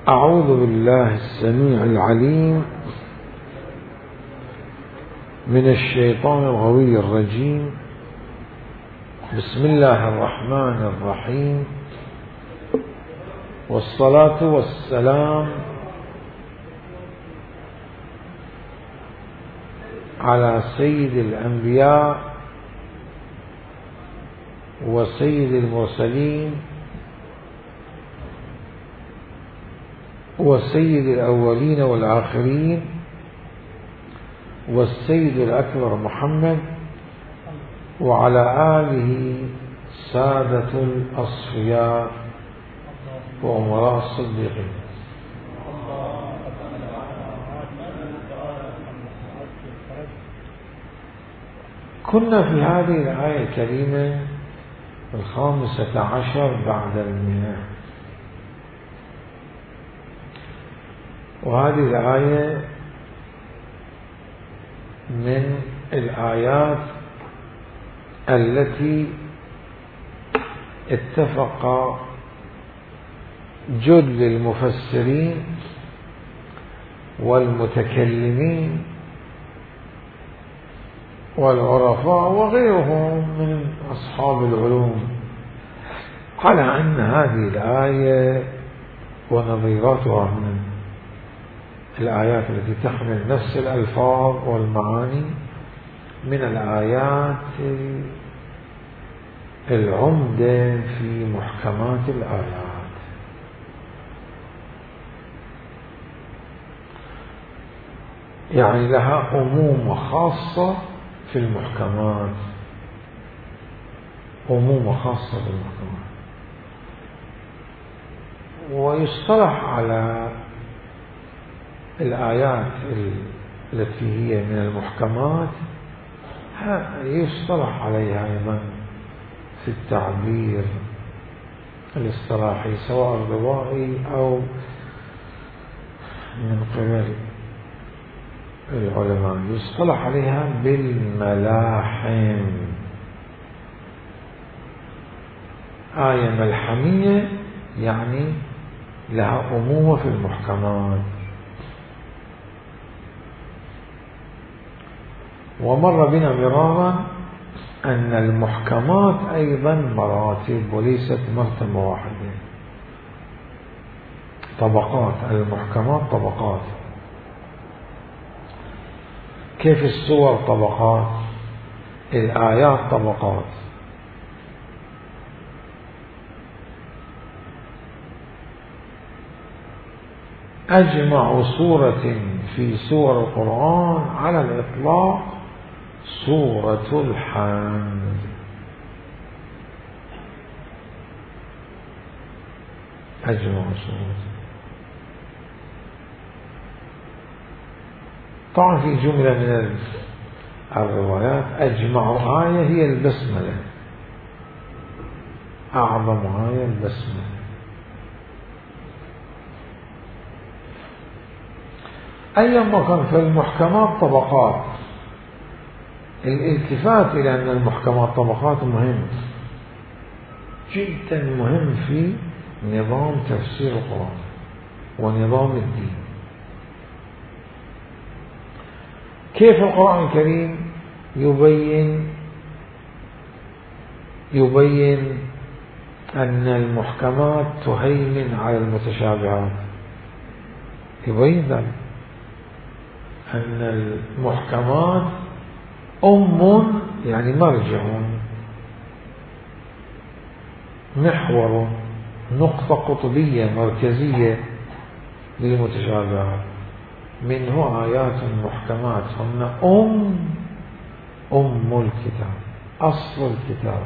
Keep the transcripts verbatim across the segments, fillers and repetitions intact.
أعوذ بالله السميع العليم من الشيطان الغوي الرجيم. بسم الله الرحمن الرحيم، والصلاة والسلام على سيد الأنبياء وسيد المرسلين وسيد الأولين والآخرين والسيد الأكبر محمد وعلى آله سادة الأصفياء وأمراء الصديقين. كنا في هذه الآية الكريمة الخامسة عشر بعد المئة، وهذه الآية من الآيات التي اتفق جل المفسرين والمتكلمين والعرفاء وغيرهم من أصحاب العلوم على أن هذه الآية ونظيراتها من الآيات التي تحمل نفس الألفاظ والمعاني من الآيات العمدة في محكمات الآيات. يعني لها أمومة خاصة في المحكمات، أمومة خاصة في المحكمات، ويصطلح على الآيات التي هي من المحكمات يصطلح عليها أيضا في التعبير الاصطلاحي سواء الروائي أو من قبل العلماء، يصطلح عليها بالملاحم. آية ملحمية يعني لها أمومة في المحكمات. ومر بنا مرارا أن المحكمات أيضا مراتب وليست مرتبة واحدة، طبقات. المحكمات طبقات. كيف السور طبقات، الآيات طبقات. أجمع سورة في سور القرآن على الإطلاق سورة الحمد. أجمع سورة. طبعا في جملة من الروايات أجمع آية هي البسملة، أعظم آية البسملة. أيما كان في المحكمات طبقات. الالتفات إلى أن المحكمات طبقات مهم جدا، مهم في نظام تفسير القرآن ونظام الدين. كيف القرآن الكريم يبين يبين أن المحكمات تهيمن على المتشابهات؟ يبين ذلك أن المحكمات أم يعني مرجع، محور، نقطة قطبية مركزية للمتشابهات. منه آيات محكمات هن أم أم الكتاب، أصل الكتاب.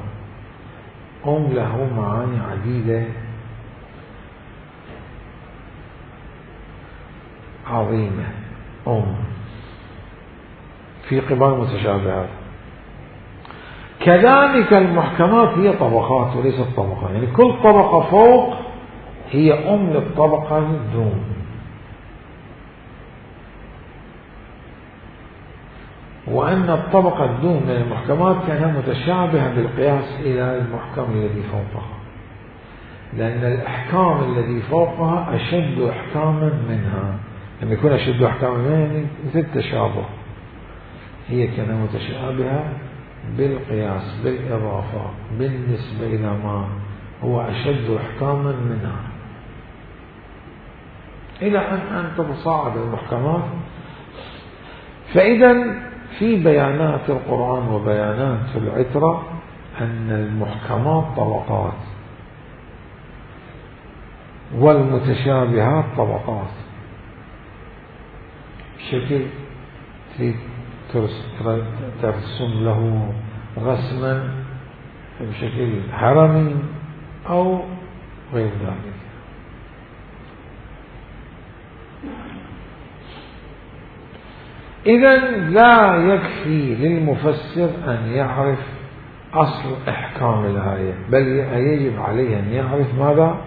أم له معاني عديدة عظيمة. أم في قبال المتشابهات. كذلك المحكمات هي طبقات وليست طبقات، يعني كل طبقة فوق هي أم للطبقة الدون. وأن الطبقة الدون من المحكمات كانت متشابهة بالقياس إلى المحكم الذي فوقها. لأن الإحكام الذي فوقها أشد إحكاما منها. لما يكون أشد إحكاما منها مثل التشابه، هي كانت متشابهة بالقياس بالإضافة بالنسبة إلى ما هو أشد إحكاما منها، إلى أن أن تتصاعد المحكمات. فإذا في بيانات القرآن وبيانات العترة أن المحكمات طبقات والمتشابهات طبقات. بشكل ترسم له رسما بشكل هرمي أو غير ذلك. إذن لا يكفي للمفسر أن يعرف أصل إحكام الآية، بل يجب عليه أن يعرف ماذا؟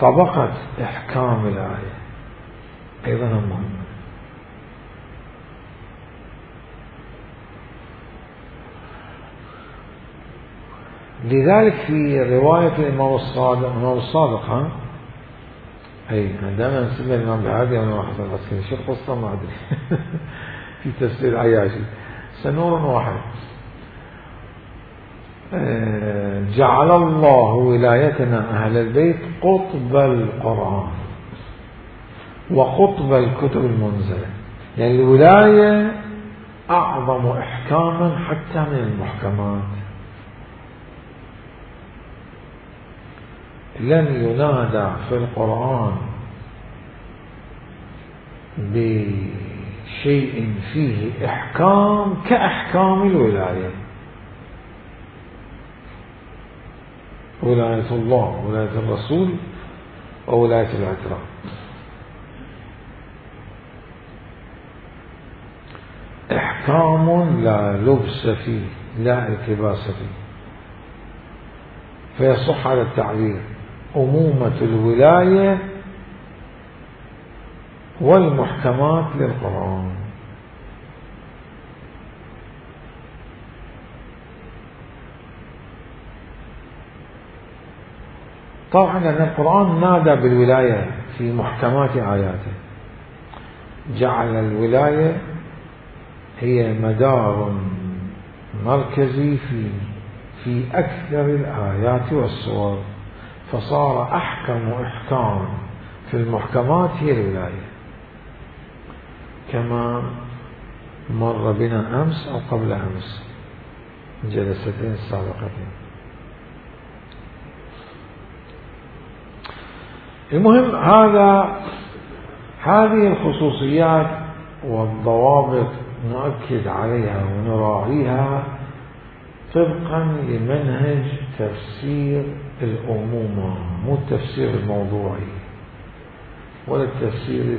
طبقة إحكام الآية، أيضا مهم. لذلك في رواية الإمام الصادق، الإمام الصادق ها أي عندما نسمى الإمام بهذه أنا ما حصل بس شو القصة ما أدري في تفسير عياشي سنور واحد. جعل الله ولايتنا أهل البيت قطب القرآن وقطب الكتب المنزلة، يعني الولاية أعظم إحكاما حتى من المحكمات. لن ينادى في القرآن بشيء فيه إحكام كأحكام الولاية. ولاية الله، ولاية الرسول، وولاية العترة. إحكام لا لبس فيه لا التباس فيه، فيصح على التعبير أمومة الولاية والمحكمات للقرآن. طبعا أن القرآن نادى بالولاية في محكمات آياته، جعل الولاية هي مدار مركزي في في أكثر الآيات والسور، فصار أحكم إحكام في المحكمات هي الولاية، كما مر بنا أمس أو قبل أمس الجلستين السابقتين. المهم هذا هذه الخصوصيات والضوابط نؤكد عليها ونراعيها طبقا لمنهج تفسير الأمومة، مو التفسير الموضوعي ولا التفسير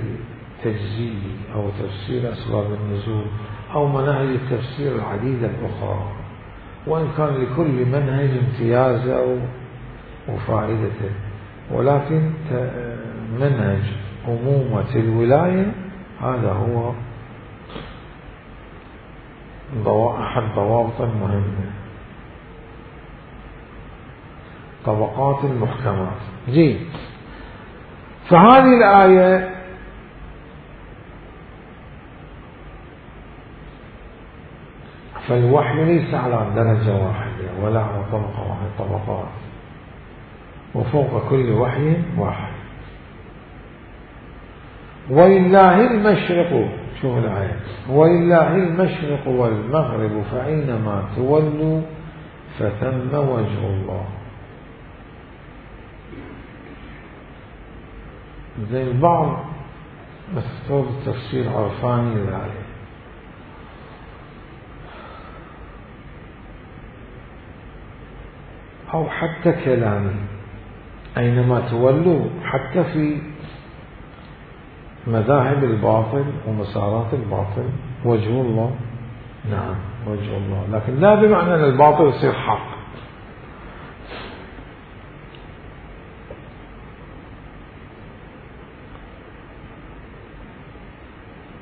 التجزئي أو تفسير أسباب النزول أو مناهج التفسير العديدة الأخرى، وإن كان لكل منهج امتيازه وفائدته، ولكن منهج أمومة الولاية هذا هو أحد ضوابط مهمة. طبقات المحكمات. جيد. فهذه الآية فالوحي ليس على درجة واحدة ولا على طبقة واحدة، طبقات، وفوق كل وحي واحد. ولله المشرق، شوف الآية، ولله المشرق والمغرب فأينما تولوا فثم وجه الله. زي البعض مستوى التفسير عرفاني للآية، أو حتى كلامي أينما تولوا، حتى في مذاهب الباطل ومسارات الباطل وجه الله، نعم وجه الله، لكن لا بمعنى أن الباطل يصير حق.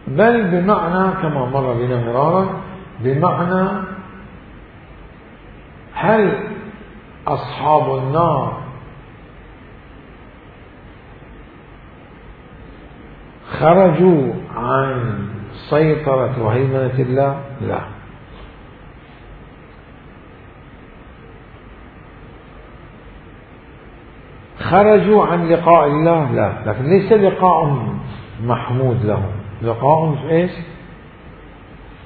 بل بمعنى كما مر بنا مرارا، بمعنى هل أصحاب النار خرجوا عن سيطرة وهيمنة الله؟ لا. خرجوا عن لقاء الله؟ لا، لكن ليس لقاء محمود لهم، لقاء ايش؟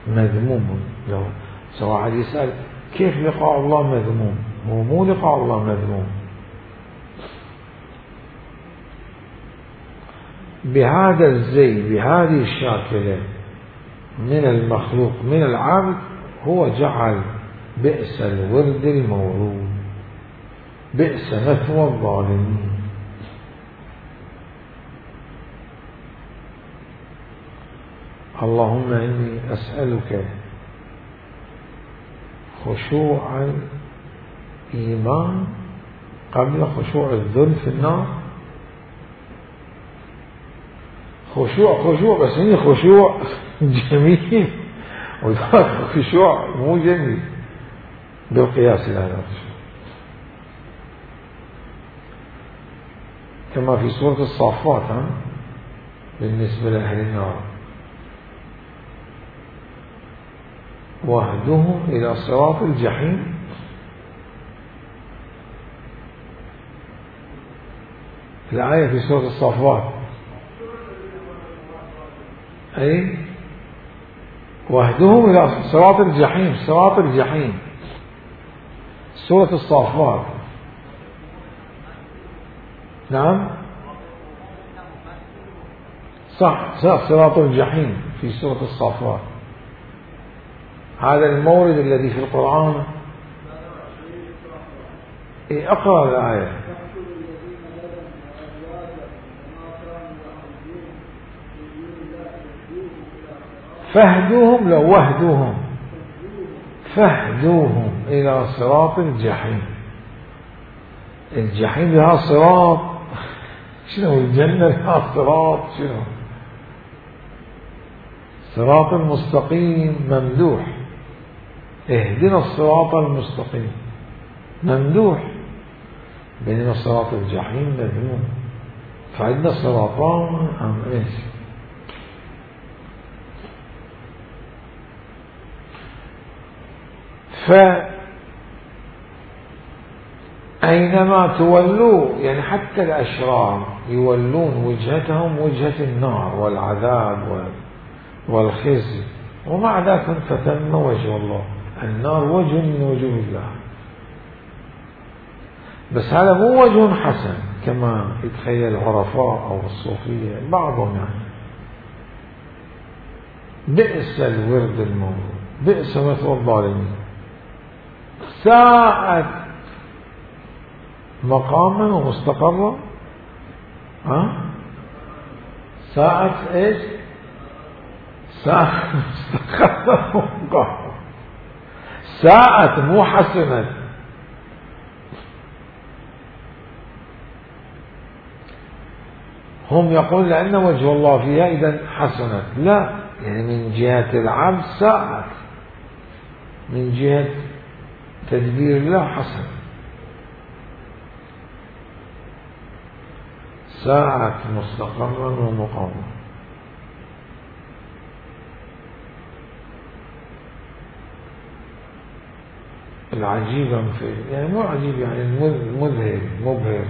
مذموم لهم. سواء يسأل كيف لقاء الله مذموم؟ هو مو لقاء الله مذموم. بهذا الزي، بهذه الشاكلة من المخلوق من العبد، هو جعل بئس الورد المورود، بئس مثوى الظالمين. اللهم إني أسألك خشوع الإيمان قبل خشوع الذل في النار. خشوع خشوع بس هي خشوع جميل، وذاك خشوع مو جميل بالقياس إلى هذا الخشوع. كما في سورة الصافات بالنسبة لأهل النار: واهدهم إلى صراط الجحيم. الآية في سورة الصافات أي واهدهم إلى صراط الجحيم، صراط الجحيم سورة الصافات. نعم صح صح، صراط الجحيم في سورة الصافات. هذا المورد الذي في القرآن. إيه أقرأ الآية. فاهدوهم، لو وهدوهم، فاهدوهم إلى صراط الجحيم. الجحيم لها صراط، شنو الجنة لها صراط؟ شنو صراط المستقيم ممدوح. اهدنا الصراط المستقيم ممدوح، بينما صراط الجحيم مذموم. فعندنا صراطان أم إيش؟ فأينما تولوا، يعني حتى الأشرار يولون وجهتهم وجهة النار والعذاب والخزي، ومع ذلك فتم وجه الله. النار وجه من وجوه الله، بس هذا مو وجه حسن كما يتخيل العرفاء أو الصوفية بعضهم. يعني بئس الورد المورود، بئس مثوى الظالمين. ساءت مقاما ومستقرا. ها ساءت ايش؟ ساءت مستقرا ومقاما. ساءت مو حسنت. هم يقول لأن وجه الله فيها إذا حسنت. لا، يعني من جهة العبد ساءت، من جهة تدبير الله حسن. ساءت مستقرا ومقاما. العجيبا في، يعني مو عجيب، يعني المذهل مبهر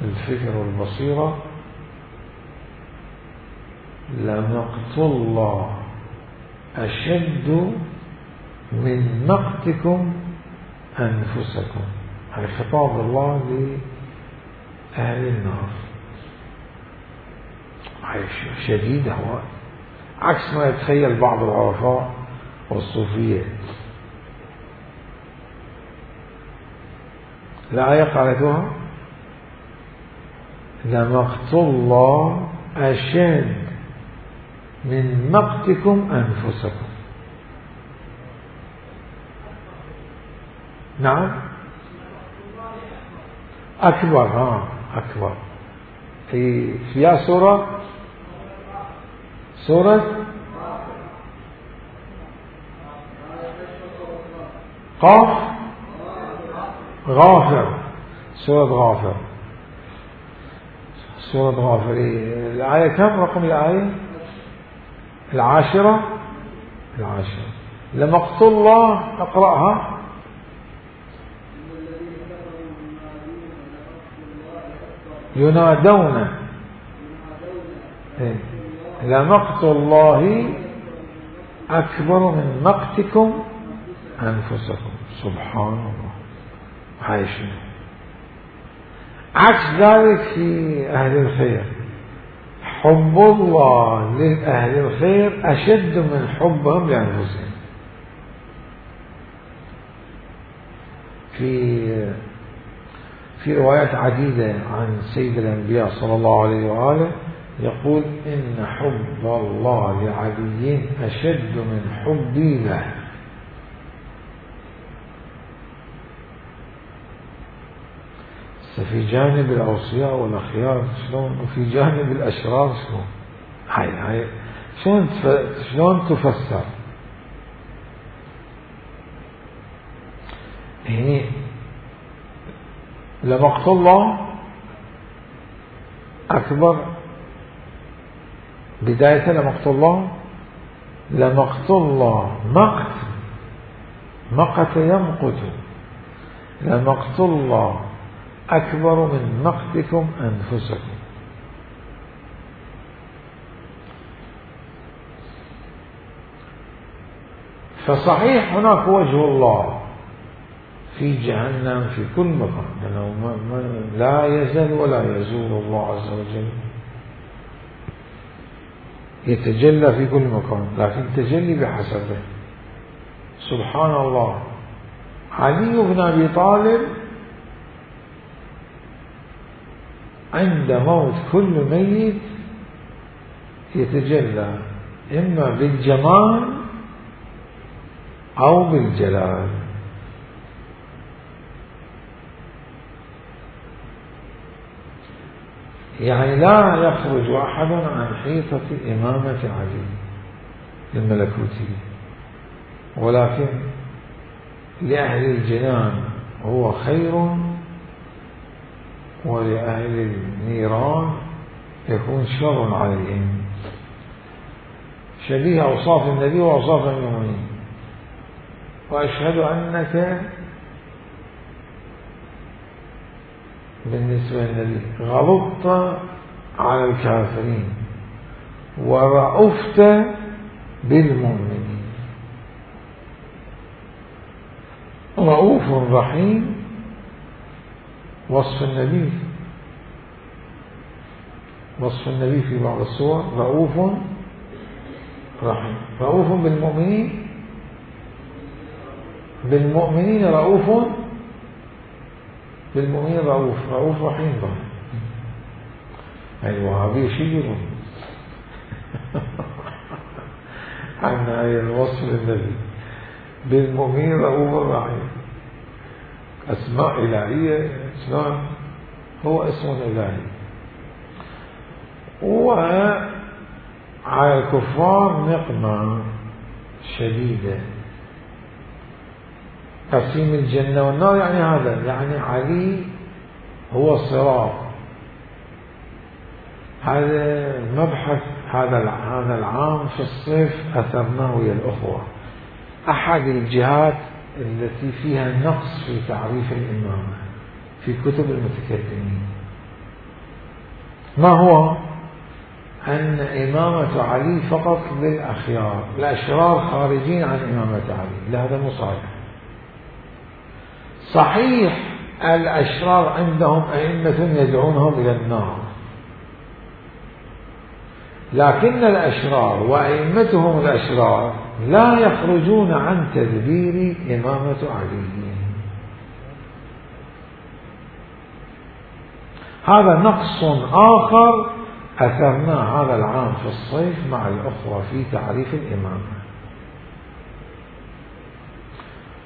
للفكر والبصيرة: لمقت الله أشد من مقتكم أنفسكم. هذا خطاب الله لأهل النار. شديدة، عكس ما يتخيل بعض العرفاء والصوفية. الآية قالتها: لمقت الله أشد من مقتكم أنفسكم. نعم أكبر. ها أكبر في فيها سورة سورة قاف غافر، سورة غافر. سورة غافرين الآية كم رقم الآية؟ العاشرة العاشرة. لمقت الله اقرأها. ينادون لمقت الله أكبر من مقتكم أنفسكم. سبحان الله. هاي شنو عكس ذلك في أهل الخير. حب الله لأهل الخير أشد من حبهم لأنفسهم. في في روايات عديدة عن سيد الأنبياء صلى الله عليه وآله يقول إن حب الله لعلي أشد من حبي له. في جانب الأوصياء والأخيار شلون، وفي جانب الأشرار شلون. هاي هاي شلون شلون تفسر هني. لمقت الله أكبر بداية لمقت الله. لمقت الله مقت مقت يمقت. لمقت الله أكبر من مقتكم أنفسكم. فصحيح هناك وجه الله في جهنم في كل مكان، لأنه لا يزال ولا يزول الله عز وجل يتجلى في كل مكان، لكن تجلي بحسبه. سبحان الله. علي بن أبي طالب عند موت كل ميت يتجلى إما بالجمال أو بالجلال. يعني لا يخرج أحد عن حيطة إمامة علي الملكوتية، ولكن لأهل الجنان هو خير، ولأهل النيران يكون شر عليهم. شبيه أوصاف النبي وأوصاف المؤمنين. وأشهد أنك بالنسبة للنبي غضبت على الكافرين ورأفت بالمؤمنين. رؤوف رحيم وصف النبي وصف النبي في بعض الصور رؤوف رحيم. رؤوف بالمؤمنين بالمؤمنين رؤوف بالمؤمنين رؤوف رؤوف رحيم. الوهابي شير عن هذا الوصف للنبي. بالمؤمنين رؤوف رحيم أسماء إلهية. شلون هو اسم إلهي. وعلى الكفار نقمة شديدة. قسيم الجنة والنار يعني هذا، يعني علي هو الصراط. هذا مبحث هذا هذا العام في الصيف أثرناه ويا الأخوة. أحد الجهات التي فيها نقص في تعريف الإمامة في كتب المتكلمين ما هو؟ أن إمامة علي فقط للأخيار، الأشرار خارجين عن إمامة علي. لا، هذا مو صحيح. صحيح الأشرار عندهم أئمة يدعونهم إلى النار، لكن الأشرار وأئمتهم الأشرار لا يخرجون عن تدبير إمامة علي. هذا نقص آخر أثرناه هذا العام في الصيف مع الأخوة في تعريف الإمامة.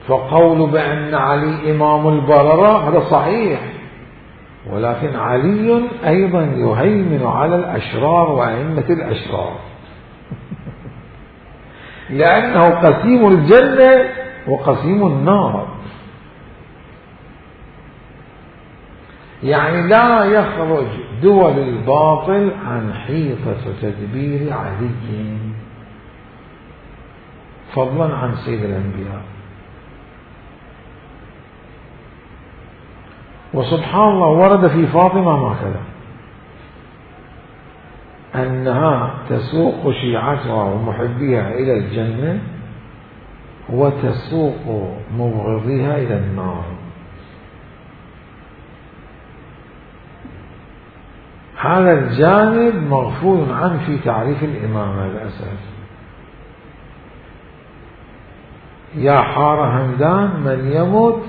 فقول بأن علي إمام البررة هذا صحيح، ولكن علي أيضا يهيمن على الأشرار وأئمة الأشرار لأنه قسيم الجنة وقسيم النار. يعني لا يخرج دول الباطل عن حيطة تدبير علي فضلا عن سيد الأنبياء. وسبحان الله ورد في فاطمة هكذا أنها تسوق شيعتها ومحبيها إلى الجنة وتسوق مبغضيها إلى النار. هذا الجانب مغفول عنه في تعريف الإمامة للأسف. يا حار همدان من يمت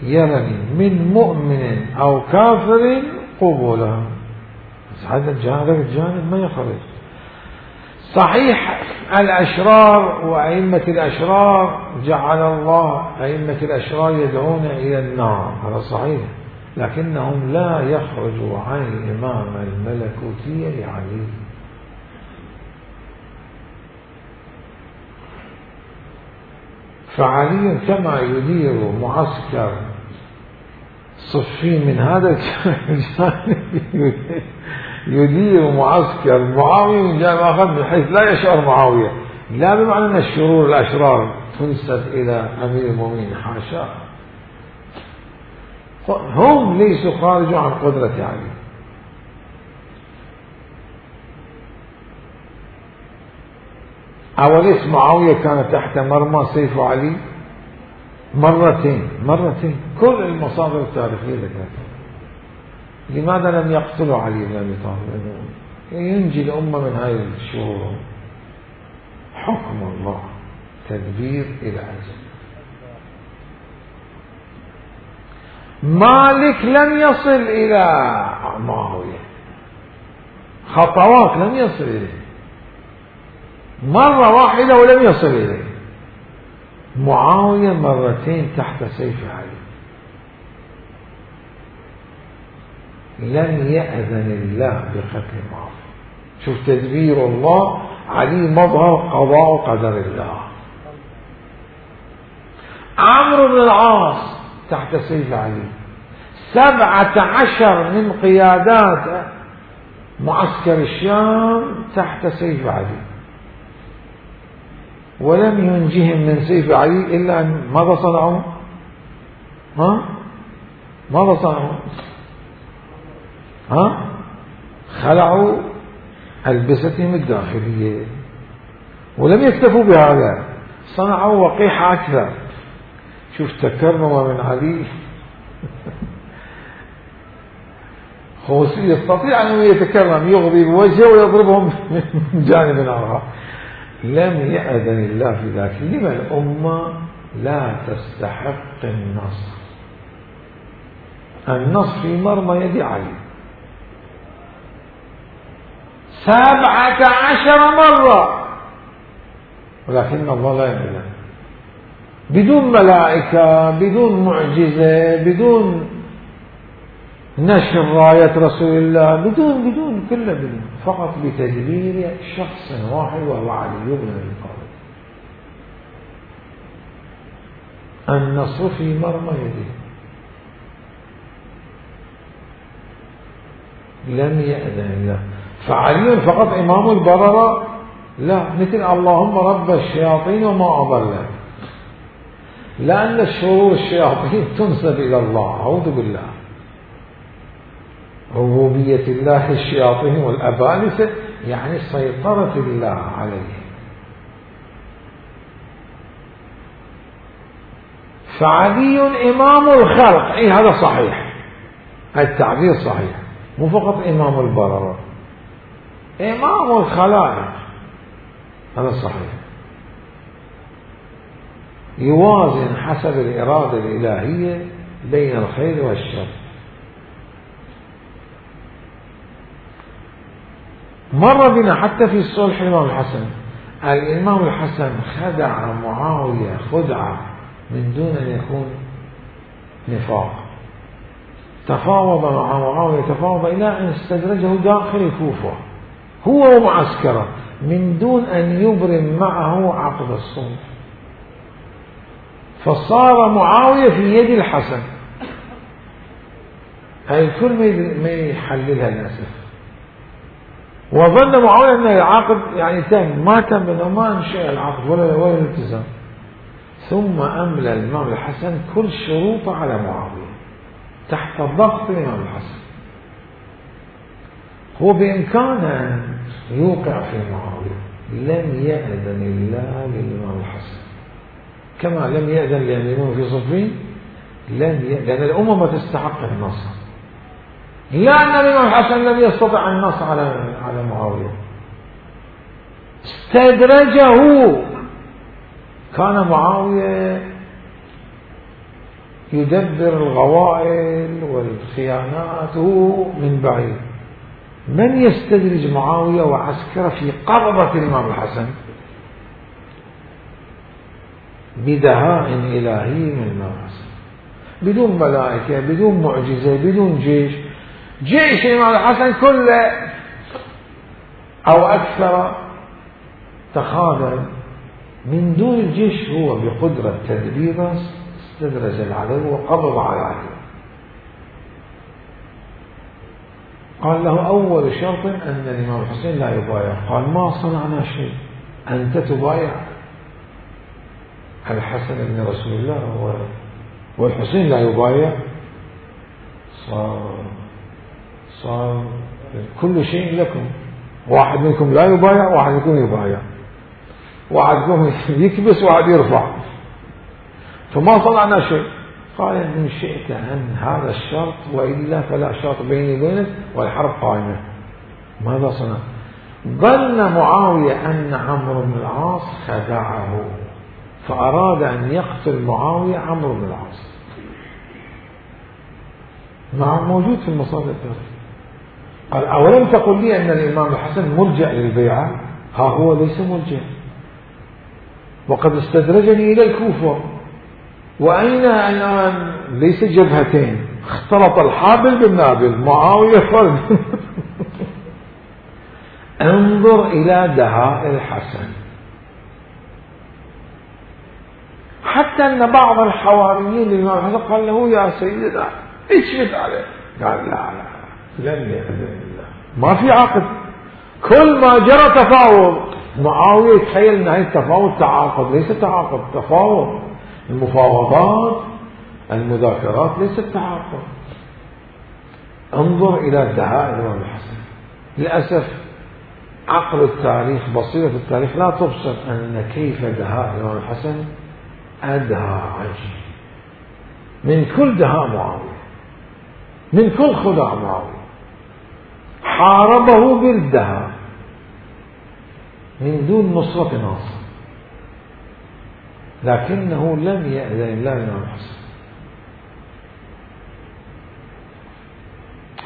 يرني من مؤمن أو كافر قبوله. هذا الجانب الجانب ما يخرج. صحيح الأشرار وأئمة الأشرار جعل الله أئمة الأشرار يدعون إلى النار، هذا صحيح، لكنهم لا يخرجوا عن الإمامة الملكوتية لعلي. فعلي كما يدير معسكر صفين من هذا الجانب يدير معسكر معاوية من جانب آخر من حيث لا يشعر معاوية، لا بمعنى أن الشرور الأشرار تنسب إلى أمير المؤمنين، حاشا، هم ليسوا خارجوا عن قدرة علي. أوليس معاوية كان تحت مرمى سيف علي مرتين مرتين كل المصادر التاريخية ذكرتها. لماذا لم يقتلوا علي بن أبي طالب؟ ينجي الأمة من هذه الشرور. حكم الله تدبير إلى أجل. مالك لم يصل إلى معاوية، خطوات لم يصل إليه، مرة واحدة ولم يصل إليه. معاوية مرتين تحت سيف علي. لم يأذن الله بقتل معاوية. شوف تدبير الله، علي مظهر قضاء قدر الله. عمرو بن العاص تحت سيف علي. سبعة عشر من قيادات معسكر الشام تحت سيف علي، ولم ينجهم من سيف علي إلا أن ماذا صنعوا؟ ها؟ ماذا صنعوا؟ ها؟ خلعوا ألبستهم الداخلية، ولم يكتفوا بهذا، صنعوا وقيحة أكثر. شوف تكرم من علي. خوصي يستطيع أن يتكرم، يغضي بوجهه ويضربهم من جانب آخر. لم يأذن الله في ذلك. لما الأمة لا تستحق النصر؟ النصر في مرمى يد علي سبعة عشر مرة، ولكن الله لا يأذن، بدون ملائكة، بدون معجزة، بدون نشر راية رسول الله، بدون بدون كله بدون، فقط بتدبير شخص واحد وهو علي بن أبي طالب. النصر في مرمى يده. لم يأذن الله. فعلي فقط إمام البررة؟ لا، مثل اللهم رب الشياطين وما أضلت، لأن الشرور الشياطين تنسب إلى الله، أعوذ بالله. ربوبية الله الشياطين والأبالسة يعني سيطرة الله عليه. فعلي إمام الخلق، أي هذا صحيح، التعبير صحيح، مو فقط إمام البررة، إمام الخلائق، هذا صحيح. يوازن حسب الإرادة الإلهية بين الخير والشر. مر بنا حتى في الصلح الإمام الحسن، الإمام الحسن خدع معاوية خدعة من دون أن يكون نفاق. تفاوض مع معاوية، تفاوض إلى أن استدرجه داخل الكوفة هو ومعسكره من دون أن يبرم معه عقد الصلح، فصار معاوية في يد الحسن. هاي الكل ما يحللها للأسف. وظن معاوية أن العقد يعني تم، ما تم ما انشأ العقد ولا ولا الالتزام. ثم أملى الإمام الحسن كل شروطه على معاوية تحت ضغط الإمام الحسن. هو بإمكانه أن يوقع في معاوية، لم يأذن الله للإمام الحسن كما لم يأذن للإمام في صفين، لم يأذن لأن الأمة ما تستحق النصر، لأن الإمام الحسن لم يستطع النصر على على معاوية، استدرجه. كان معاوية يدبر الغوائل والخيانات من بعيد. من يستدرج معاوية وعسكره في قبضة الإمام الحسن؟ بدهاء إلهي من الإمام الحسن، بدون ملائكة، بدون معجزة، بدون جيش. جيش الإمام الحسن كله أو أكثر تخاذل، من دون الجيش هو بقدرة تدبيره استدرج العدو وقبض على العدو. قال له أول شرط أن الإمام الحسين لا يبايع. قال ما صنعنا شيء، أنت تبايع الحسن بن رسول الله والحسين لا يبايع. صار صار كل شيء لكم، واحد منكم لا يبايع واحد منكم يبايع، واحد منكم يكبس واحد يرفع، فما صنعنا شيء. قال إن شئت أن هذا الشرط وإلا فلا شرط بيني وبينك والحرب قائمة. ماذا صنع؟ ظن معاوية أن عمرو بن العاص خدعه، فأراد أن يقتل معاوية عمرو بن العاص. مع موجود في المصادر. قال أولم تقل لي أن الإمام الحسن ملجأ للبيعة؟ ها هو ليس ملجأ، وقد استدرجني إلى الكوفة، وأين الآن؟ ليس جبهتين، اختلط الحابل بالنابل، معاوية فرد. انظر إلى دهاء الحسن، حتى أن بعض الحواريين للإمام الحسن قال له يا سيدنا اشفت عليه. قال لا لا لن يأذن الله، ما في عقد. كل ما جرى تفاوض معاوية يتخيل أن هذا التفاوض تعاقد، ليس تعاقد، تفاوض. المفاوضات المذاكرات ليست تعاقد. انظر إلى دهاء الإمام الحسن. للأسف عقل التاريخ، بصيرة التاريخ لا تبصر أن كيف دهاء الإمام الحسن أدهى عجيب من كل دهاء معاوية، من كل خداع معاوية. حاربه بالدهاء من دون نصرة ناصر، لكنه لم يأذن الله للإمام الحسن،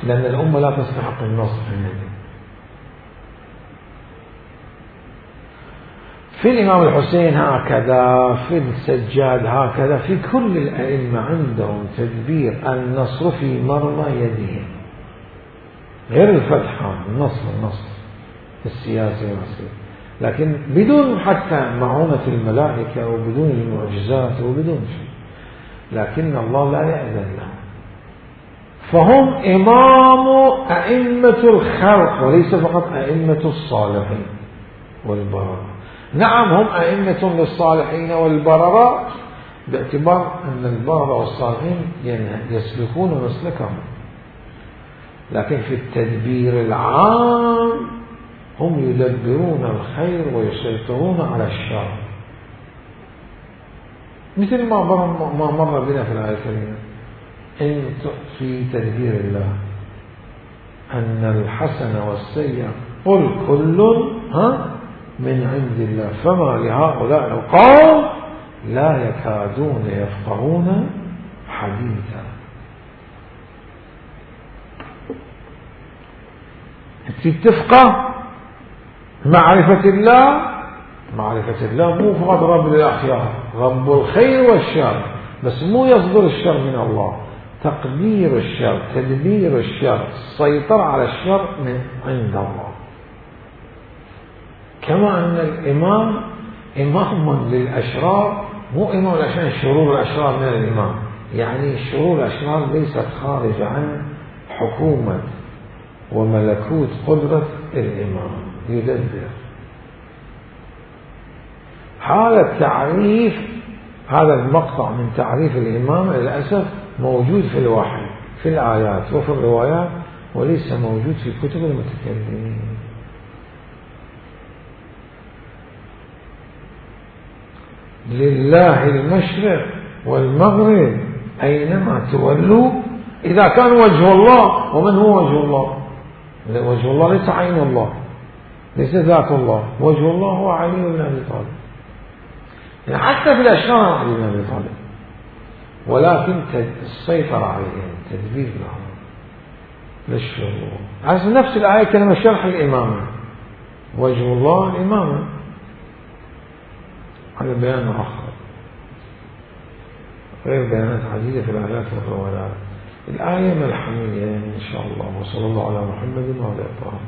لأن الأمة لا تستحق النصر في النبي. في الإمام الحسين هكذا، في السجاد هكذا، في كل الأئمة عندهم تدبير النصر في مرمى يدهم، غير الفتح، النصر النصر السياسي والسياسي، لكن بدون حتى معونة الملائكة وبدون المعجزات وبدون شيء، لكن الله لا يأذن لهم. فهم إمام أئمة الخلق وليس فقط أئمة الصالحين والبررة. نعم هم أئمة للصالحين والبررة باعتبار أن البررة والصالحين يسلكون مسلكهم، لكن في التدبير العام هم يدبرون الخير ويسيطرون على الشر، مثل ما ما مر بنا في الآية الكريمة إن في تدبير الله أن الحسن والسيء قل كل ها من عند الله فما لهؤلاء القوم لا يكادون يفقهون حديثا. تتفقه معرفة الله، معرفة الله مو فقط رب للأخيار، رب الخير والشر، بس مو يصدر الشر من الله، تقدير الشر، تدبير الشر، السيطرة على الشر من عند الله. كما أن الإمام إمام للأشرار، مو إمام عشان شرور الأشرار من الإمام، يعني شرور الأشرار ليست خارجة عن حكومة وملكوت قدرة الإمام يدبر. هذا التعريف، هذا المقطع من تعريف الإمام للأسف موجود في الوحي في الآيات وفي الروايات، وليس موجود في كتب المتكلمين. لله المشرق والمغرب أينما تولوا، إذا كان وجه الله. ومن هو وجه الله؟ وجه الله ليس عين الله، ليس ذات الله. وجه الله هو علي بن أبي طالب، يعني حتى في الأشرار علي بن أبي طالب، ولكن السيطرة عليهم، تدبير لهم للشروع. هذا نفس الآية كلمة شرح الإمامة، وجه الله الإمامة، هذا بيان آخر غير بيانات عديدة في الآيات والروايات. الآية ملحمية إن شاء الله. وصلى الله على محمد وعلى آله.